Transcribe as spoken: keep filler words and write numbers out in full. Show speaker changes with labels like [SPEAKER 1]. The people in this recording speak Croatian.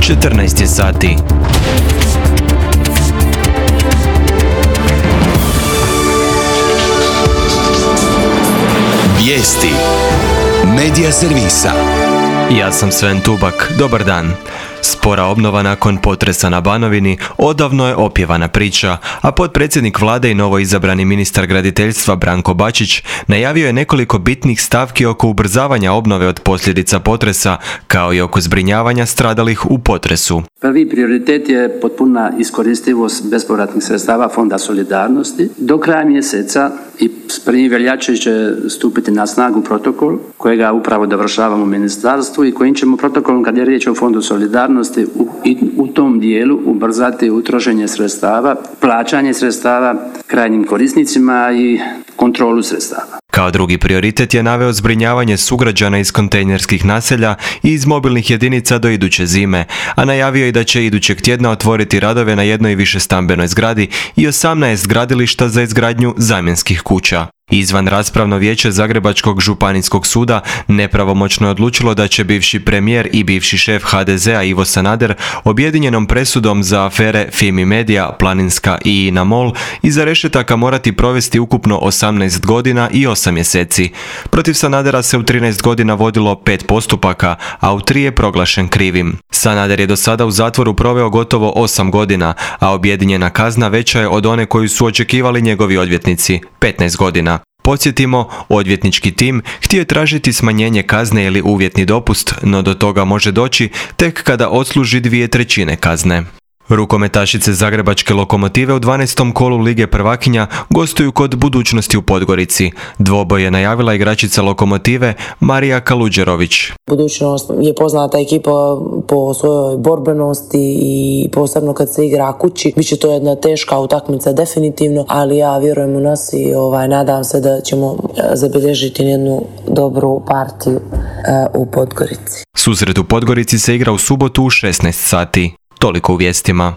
[SPEAKER 1] četrnaest je sati.
[SPEAKER 2] Vijesti Medija servisa.
[SPEAKER 1] Ja sam Sven Tubak, dobar dan. Spora obnova nakon potresa na Banovini odavno je opjevana priča, a potpredsjednik vlade i novoizabrani ministar graditeljstva Branko Bačić najavio je nekoliko bitnih stavki oko ubrzavanja obnove od posljedica potresa, kao i oko zbrinjavanja stradalih u potresu.
[SPEAKER 3] Prvi prioritet je potpuna iskoristivost bespovratnih sredstava Fonda solidarnosti. Do kraja mjeseca i s prvim veljače će stupiti na snagu protokol kojega upravo dovršavamo u ministarstvu i kojim ćemo protokolom, kad je riječ o Fondu solidarnosti, u, i, u tom dijelu ubrzati utrošenje sredstava, plaćanje sredstava krajnjim korisnicima i kontrolu sredstava.
[SPEAKER 1] Kao drugi prioritet je naveo zbrinjavanje sugrađana iz kontejnerskih naselja i iz mobilnih jedinica do iduće zime, a najavio je da će idućeg tjedna otvoriti radove na jednoj višestambenoj zgradi i osamnaest gradilišta za izgradnju zamjenskih kuća. Izvan raspravno vijeće Zagrebačkog županijskog suda nepravomoćno je odlučilo da će bivši premijer i bivši šef ha de zea Ivo Sanader objedinjenom presudom za afere Fimi Media, Planinska i INA MOL iza rešetaka morati provesti ukupno osamnaest godina i osam mjeseci. Protiv Sanadera se u trinaest godina vodilo pet postupaka, a u tri je proglašen krivim. Sanader je do sada u zatvoru proveo gotovo osam godina, a objedinjena kazna veća je od one koju su očekivali njegovi odvjetnici, petnaest godina. Podsjetimo, odvjetnički tim htio je tražiti smanjenje kazne ili uvjetni dopust, no do toga može doći tek kada odsluži dvije trećine kazne. Rukometašice Zagrebačke Lokomotive u dvanaestom kolu Lige prvakinja gostuju kod Budućnosti u Podgorici. Dvoboj je najavila igračica Lokomotive Marija Kaluđerović.
[SPEAKER 4] Budućnost je poznata ekipa po svojoj borbenosti i posebno kad se igra kući. Biće to jedna teška utakmica definitivno, ali ja vjerujem u nas i ovaj, nadam se da ćemo zabilježiti jednu dobru partiju uh, u Podgorici.
[SPEAKER 1] Susret u Podgorici se igra u subotu u šesnaest sati. Toliko u vijestima.